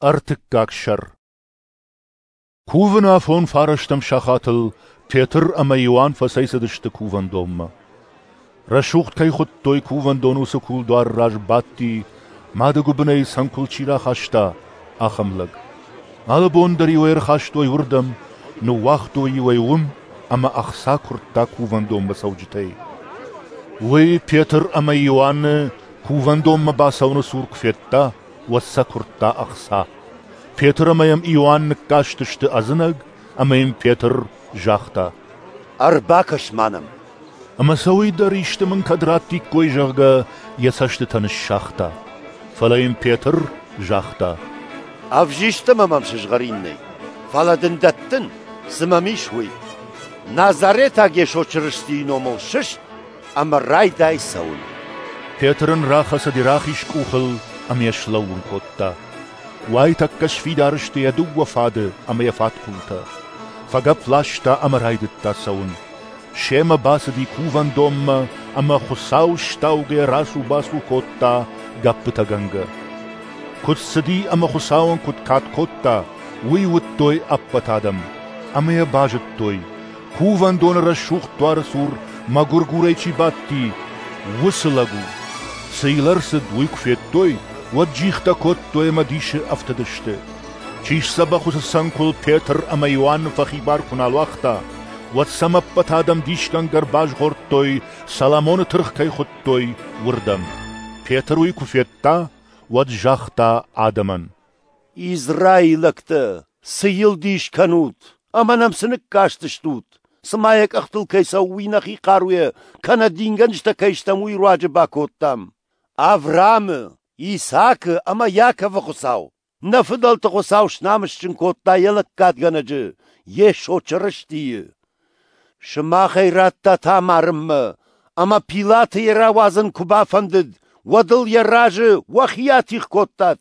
Ӕртыккаг сӕр. Кувыны афон фарӕстӕм сахатыл Петр ӕмӕ Иоанн фӕцӕйцыдысты кувӕндонмӕ. Рӕсугъд кӕй хуыдтой, кувӕндоны уыцы кулдуары раз бадти, мады гуыбынӕй цӕнкуыл чи рахаста, ахӕм лӕг. Алы бон дӕр-иу ӕй ӕрхастой уырдӕм, ныууагътой-иу ӕй уым ӕмӕ ӕхца куырдта кувӕндонмӕ цӕуджытӕй. Уый Петр ӕмӕ Иоанны кувӕндонмӕ бацӕуыны цур куы федта, уӕд сӕ куырдта ӕхца. Петр ӕмӕ йӕм Иоанн ныккастысты ӕдзынӕг, ӕмӕ йын Петр загъта: «Ӕрбакӕс-ма нӕм!» Ӕмӕ сӕ уый дӕр исты мын кӕд раттиккой, зӕгъгӕ, йӕ цӕстытӕ ныссагъта. Фӕлӕ йын Петр загъта: «Ӕвзист ӕмӕ мӕм сызгъӕрин нӕй, фӕлӕ дын дӕттын, цы мӕм ис, уый. Назаретаг Йесо Чырыстийы номыл сыст ӕмӕ райдай цӕуын!» Петр ын рахӕцыд йӕ рахиз къухыл ӕмӕ йӕ слӕууын кодта. Уайтӕккӕ сфидар сты йӕ дыууӕ фады ӕмӕ йӕ фадхъултӕ. Фӕгӕпп ласта ӕмӕ райдыдта цӕуын. Семӕ бацыди кувӕндонмӕ ӕмӕ Хуыцау стаугӕйӕ рацу-бацу кодта гӕппытӕгӕнгӕ. Куыд цыди ӕмӕ Хуыцауӕн куыд кад кодта, уый уыдтой ӕппӕт адӕм, ӕмӕ йӕ базыдтой, кувӕндоны рӕсугъд дуары цур мӕгуыргурӕй чи бадти, уыцы лӕг у. Цы йыл ӕрцыд, уый куы федтой, уӕд джихтӕ кодтой ӕмӕ дисы ӕфтыдысты. Чи сдзӕбӕх уыцы цӕнкуыл Петр ӕмӕ Иоанны фӕхибар куы нал уагъта, уӕд сӕм ӕппӕт адӕм дисгӕнгӕ ӕрбазгъордтой, Соломоны тыргъ кӕй хуыдтой, уырдӕм. Петр уый куы федта, уӕд загъта адӕмӕн: «Израилӕгтӕ, цы йыл дис кӕнут ӕмӕ нӕм цы ныккастыстут, цыма йӕ къӕхтыл кӕй цӕуы, уый нӕхи хъаруйӕ кӕнӕ дингӕнджытӕ кӕй стӕм, уый руаджы бакодтам. Авраамы, Исаакы ӕмӕ Иаковы Хуыцау, нӕ фыдӕлты Хуыцау снамысджын кодта йӕ лӕггадгӕнӕджы, Йесо Чырыстийы. Сымах ӕй радтат амарынмӕ, ӕмӕ Пилаты йӕ рауадзын куы бафӕндыд, уӕд ыл йӕ разы уӕхи атигъ кодтат.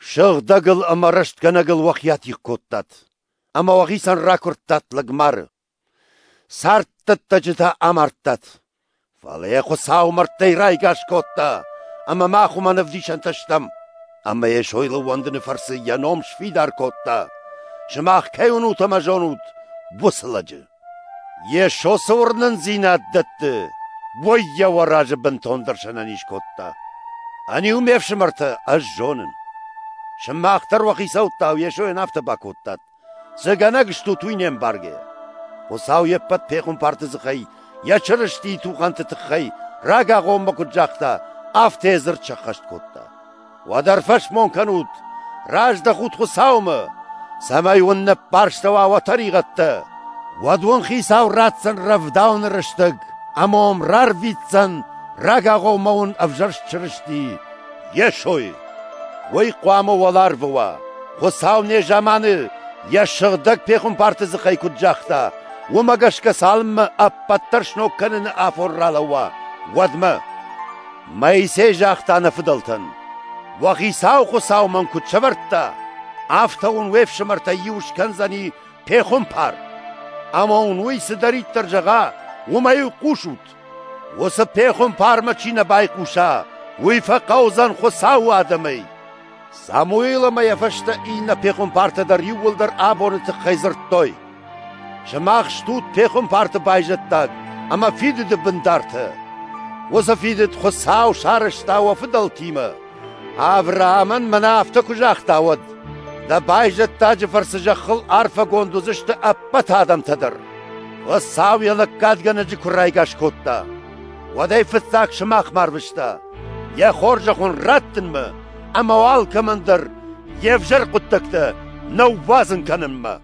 Сыгъдӕгыл ӕмӕ рӕстгӕнӕгыл уӕхи атигъ кодтат, ӕмӕ уӕхицӕн ракуырдтат лӕгмары. Царддӕттӕджы та амардтат. Фӕлӕ йӕ Хуыцау мӕрдтӕй райгас кодта, ӕмӕ мах уымӕн ӕвдисӕнтӕ стӕм. Ӕмӕ Йесойыл ӕууӕндыны фӕрцы йӕ ном сфидар кодта, сымах кӕй уынут ӕмӕ зонут, уыцы лӕджы. Йесо цы уырнындзинад дӕтты, уый йӕ уӕ разы бынтондӕр сӕнӕниз кодта. Ӕниу, ме фсымӕртӕ, ӕз зонын. Сымах дӕр уӕ хицӕуттау Йесойӕн афтӕ бакодтат. Цы гӕнӕг стут, уый не мбаргӕ. Хуыцау йе ппӕт пехуымпарты дзыхӕй йӕ Чырыстийы тухӕнты тыххӕй рагагъоммӕ куыд загъта, афтӕ йӕ дзырд сӕххӕст кодта. Уӕд ӕрфӕсмон кӕнут, раздӕхут Хуыцаумӕ, цӕмӕй уын ныппӕрстӕуа уӕ тӕригъӕдтӕ. Уӕд уын Хицау ратдзӕн рӕвдауыны рӕстӕг ӕмӕ уӕм рарвитдзӕн рагагъоммӕ уын ӕвзӕрст Чырысти Йесойы. Уый хъуамӕ уӕларвы уа, Хуыцау незаманы йӕ сыгъдӕг пехуымпарты дзыхӕй куыд загъта, уымӕ гӕсгӕ цалынмӕ ӕппӕт дӕр сног кӕныны афон ралӕууа, уӕдмӕ. Моисей загъта нӕ фыдӕлтӕн: «Уӕ Хицау Хуыцау мӕн куыд сӕвӕрдта, афтӕ уын уе фсымӕртӕй иу скӕндзӕни пехуымпар. Ӕмӕ уын уый цыдӕриддӕр зӕгъа, уымӕ-иу хъусут. Уыцы пехуымпармӕ чи нӕ байхъуса, уый фӕхъӕудзӕн Хуыцауы адӕмӕй». Самуил ӕмӕ йӕ фӕстӕ иннӕ пехуымпартӕ дӕр иууылдӕр абоны тыххӕй дзырдтой. Сымах стут пехуымпарты байзӕддаг ӕмӕ фидыды бындартӕ. Уыцы фидыд Хуыцау сарӕзта уӕ фыдӕлтимӕ. Авраамӕн мӕнӕ афтӕ куы загъта, уӕд: Дӕ байзӕддаджы фӕрцы зӕххыл арфӕгонд уыдзысты ӕппӕт адӕмтӕ дӕр. Хуыцау йӕ лӕггадгӕнӕджы куы райгас кодта, уӕд ӕй фыццаг сымахмӕ арвыста, йӕ хорзӕх уын раттынмӕ ӕмӕ уӕ алкӕмӕн дӕр йе взӕр хъуыддӕгтӕ ныууадзын кӕнынмӕ.